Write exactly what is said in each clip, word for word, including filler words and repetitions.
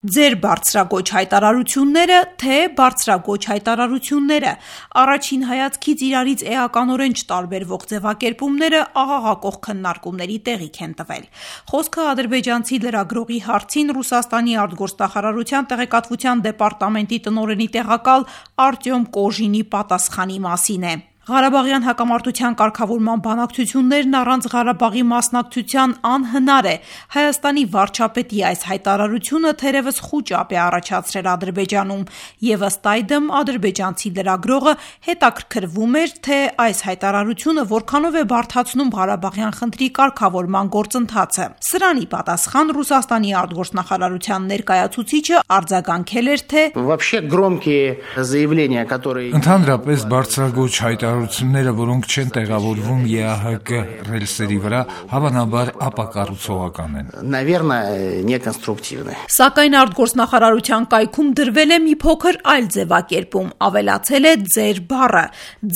Ձեր բարձրագոչ հայտարարությունները, թե բարձրագոչ հայտարարությունները, առաջին հայացքից իրարից էականորեն չտարբերվող ձևակերպումները աղաղակող քննարկումների տեղիք են տվել։ Խոսքը ադրբեջանցի լրագրողի հարցին Ռուսաստանի արտգործնախարարության տեղեկատվության դեպարտամենտի տնօրենի տեղակալ Արտյոմ Կոժինի պատասխանի մասին է։ Ղարաբաղյան հակամարտության կարգավորման բանակցություններն առանց Ղարաբաղի մասնակցության անհնար է։ Հայաստանի վարչապետի այս հայտարարությունը թերևս խուճապ է առաջացրել Ադրբեջանում, եւ ըստ այդմ ադրբեջանցի լրագրողը հետաքրքրվում էր, թե այս հայտարարությունը որքանով է բարդացնում Ղարաբաղյան խնդրի կարգավորման գործընթացը։ Սրանի պատասխան Ռուսաստանի արտգործնախարարության ներկայացուցիչը արձագանքել էր, թե Ընդհանրապես բարձրագույն հայտարարությունները, որոնք չեն տեղավորվում Է Ա Հ Կ ռելսերի վրա, հավանաբար ապակառուցողական են։ Սակայն արտգործնախարարության կայքում դրվել է մի փոքր այլ ձևակերպում, ավելացել է ձեր բառը,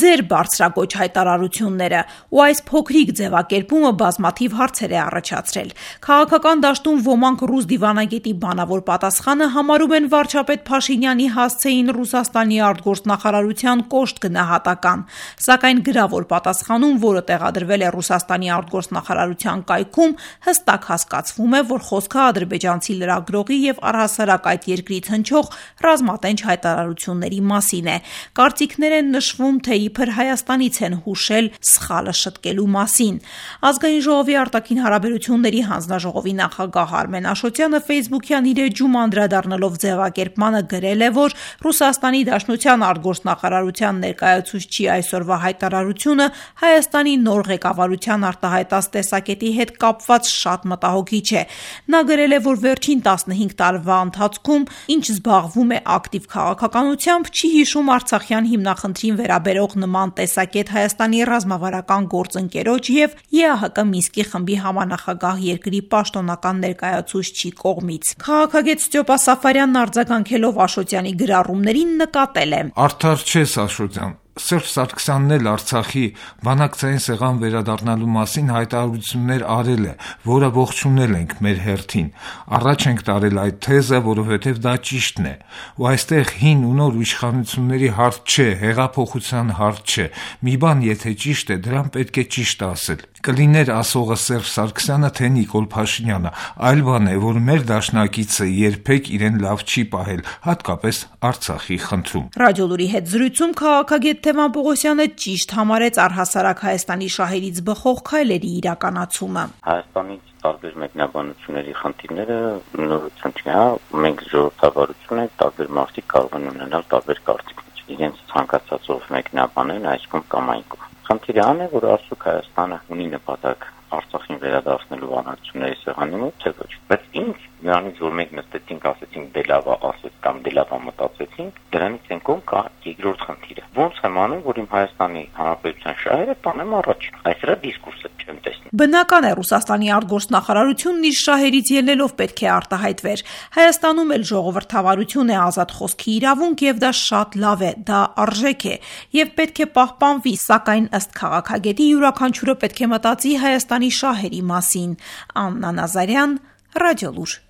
ձեր բարձրագոչ հայտարարությունները, ու այս փոքրիկ ձևակերպումը բազմաթիվ հարցեր է առաջացրել։ Քաղաքական դաշտում ոմանք ռուս դիվանագետի բանավոր պատասխանը համարում են վարչապետ Փաշինյանի հասցեին Ռուսաստանի արտգործնախարարության կոշտ գնահատական, սակայն գրավոր պատասխանում, որը տեղադրվել է Ռուսաստանի արտգործնախարարության կայքում, հստակ հասկացվում է, որ խոսքը ադրբեջանցի լրագրողի եւ առհասարակ այդ երկրից հնչող ռազմատենչ հայտարարությունների մասին է։ Կարծիքներ են նշվում, թե իբր Հայաստանից են հուշել սխալը շտկելու մասին։ Ազգային ժողովի արտաքին հարաբերությունների հանձնաժողովի նախագահ Արմեն Աշոտյանը Facebook-յան իր էջում անդրադառնալով ձևակերպմանը գրել է, որ Ռուսաստանի Դաշնության արտգործնախարարության ներկայացուցչի այսօրվա հայտարարությունը Հայաստանի նոր ղեկավարության արտահայտած տեսակետի հետ կապված շատ մտահոգիչ է։ Նա գրել է, որ վերջին տասնհինգ տարվա ընթացքում, ինչ զբաղվում է ակտիվ քաղաքականությամբ, չի հիշում Արցախյան հիմնախնդրին վերաբերող նման տեսակետ Հայաստանի ռազմավարական գործընկերոջ եւ Է Ա Հ Կ Մինսկի խմբի համանախագահ երկրի պաշտոնական ներկայացուցչի կողմից։ Քաղաքագետ Ստյոպա Սաֆարյանն արձագանքելով Աշոտյանի գրառումներին նկատել է. Արդար չես, Աշոտյան, Սերժ Սարգսյանն էլ Արցախի բանակցային սեղան վերադառնալու մասին հայտարարություններ արել է, որը ողջունել ենք մեր հերթին։ Առաջ ենք տարել այդ թեզը, որովհետև դա ճիշտն է։ Ու այստեղ հին ու նոր իշխանությունների հարց չէ, հեղափոխության հարց չէ։ Մի բան եթե ճիշտ է, դրան պետք է ճիշտ ասել։ Կլիներ ասողը Սերժ Սարգսյանը, թե Նիկոլ Փաշինյանը, այլ բան է, որ մեր դաշնակիցը երբեք իրեն լավ չի պահել, հատկապես Արցախի խնդրում։ Ռադիոլուրի հետ զրույցում քաղաքագետ Թևան Պողոսյանը ճիշտ համարեց առհասարակ Հայաստանի շահերից բխող քայլերի իրականացումը։ Հայաստանից տարբեր մեկնաբանությունների խնդիրները նորություն չի, հա, մենք ժողովրդավարություն ենք, տարբեր մարդիկ կարող են ունենալ տարբեր կարծիքներ, իրենց ցանկացածով մեկնաբանեն այսքան կամ այնքան։ Խնդիրը այն է, որ արդյոք Հայաստանը ունի նպատակ Արցախին վերադարձնելու բանակցությունների սեղանի մոտ, թե ոչ։ Բայց ինչ նրանից, որ մենք նստեցինք, ասեցինք դե լավ է ասեց կամ դե լավ է մտածեցինք, դրանից են կողմ կա երկրորդ խնդիրը։ Ոնց եմ անում, որ իմ Հայաստանի Հանրապետության շահերը տանեմ առաջ։ Այս դրա դիսկուրսը չեմ տեսնում։ Բնական է, Ռուսաստանի արտգործնախարարությունն իր շահերից ելնելով պետք է արտահայտվեր։ Հայաստանում էլ ժողովրդավարություն է ազատ խոսքի իրավունք եւ դա շատ լավ է, դա արժեք է եւ պետք է պահպանվի, սակայն ըստ քաղաքագետի յուրաքանչյուրը պետք է մտածի Հայաստանի շահերի մասին։ Աննա Նազարյան, Ռադիոլուր։